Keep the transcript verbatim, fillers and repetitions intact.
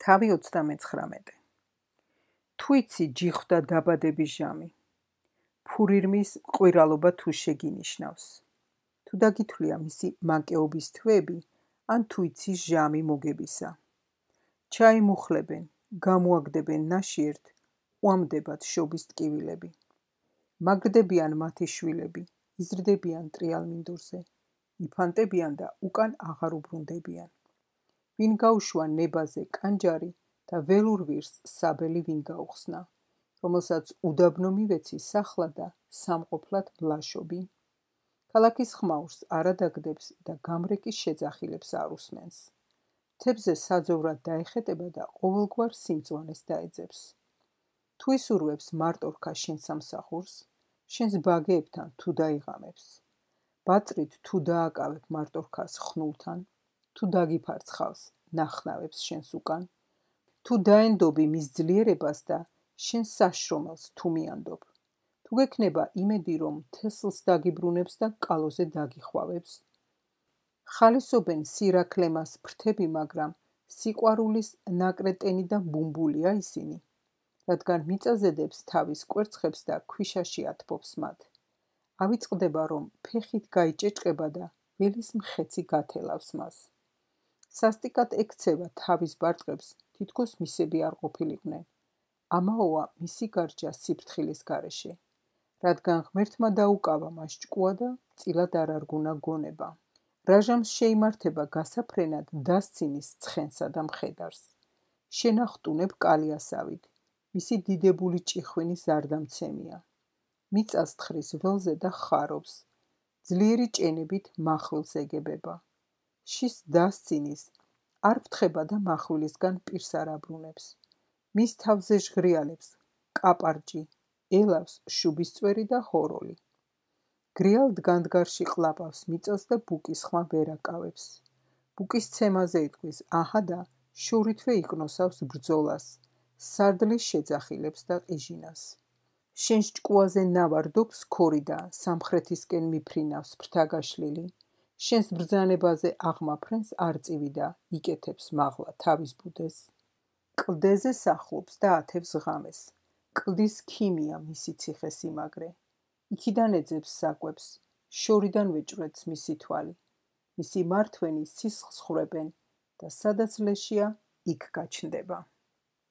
თავი ოცდამეცხრამეტე. თუ იცი ჯიხვდა დაბადების ჟამი, ფურირმის ყვირალობა თუ შეგინიშნავს, თუ დაგითვლია მისი მაკეობის თვეები, ან თუ იცი ჟამი მოგებისა. ჩაიმუხლებენ, გამოაგდებენ ნაშიერთ, უამდებათ შობის ტკივილები. მაგრდებიან მათი შვილები, იზრდებიან ტრიალმინდურზე, იფანტებიან და უკან აღარ უბრუნდებიან. ვინ გაუშვა ნებაზე კანჯარი და ველურ ვირს საბელი ვინ გაუხსნა, რომელსაც უდაბნო მივეცი სახლა და სამყოფლად მლაშობი. ქალაქის ხმაურს არადაგდებს და გამრეკის შეძახილებს არ უსმენს. მთებზე საძოვრად დაეხეტება და ყოველგვარ სიმწვანეს დაეძებს. თუ ისურვებს მარტორქა შენ სამსახურს, შენს ბაგეებთან თუ დაიღამებს. ბაწრით თუ დააკავებ მარტორქას ხნულთან, თუ დაგიფარცხავს ნახნავებს შენს უკან, თუ დაენდობი მის ძლიერებას და შენ საშრომელს თუ მიანდობ, თუ გექნება იმედი რომ თესლს დაგიბრუნებს და კალოზე დაგიხვავებს. ხალისობენ სირაქლემას ფრთები, მაგრამ სიყვარულის ნაკრეტენი და ბუმბულია ისინი, რადგან მიწაზედებს თავის კვერცხებს და ქვიშაში ათბობს მათ. ავიწყდება რომ ფეხით გაიჭეჭყება და ველის მხეცი გათელავს მას. სასტიკად ექცევა თავის ბარტყებს, თითქოს მისები არ ყოფილიყვნენ. ამაოა მისი გარჯა სიფრთხილის გარეშე, რადგან ღმერთმა დაუკავა მას ჭკუა და წილად არ არგუნა გონება. რაჟამს შეიმართება გასაფრენად დასცინის ცხენსა და მხედარს. შენახტუნებ კალიასავით, მისი დიდებული ჭიხვინი ზარდამცემია. მიწას თხრის ველზე და ხარობს, ძლიერი ჭენებით მახვილს ეგებება. შის დასცინის არ ფთხება და მახვილისგან პირს არ აბრუნებს. მის თავზე ჟღრიალებს კაპარჭი, ელავს შუბისწვერი და ჰოროლი. გრიალ დგანდგარში ყლაპავს მიწას და ბუკის ხმა ვერ აკავებს. ბუკის ცემაზე იტყვის აჰა და შორითვე იკნოსავს ბრძოლას, სარდლის შეძახილებს და ყიჟინას. შენს ჭკუაზე ნავარდობს ქორი და სამხრეთისკენ მიფრინავს ფრთა გაშლილი. შენს ბრძანებაზე აღმაფრენს არწივი და იკეთებს მაღლა თავის ბუდეს. კლდეზე სახლობს და ათევს ღამეს. კლდის ქიმია მისი ციხესიმაგრე. იქიდან ეძებს საკვებს, შორიდან ვეჭვრეთს მისი თვალი. მისი მართვენი სისხლს ხრებენ და სადაც ლეშია, იქ გაჩნდება.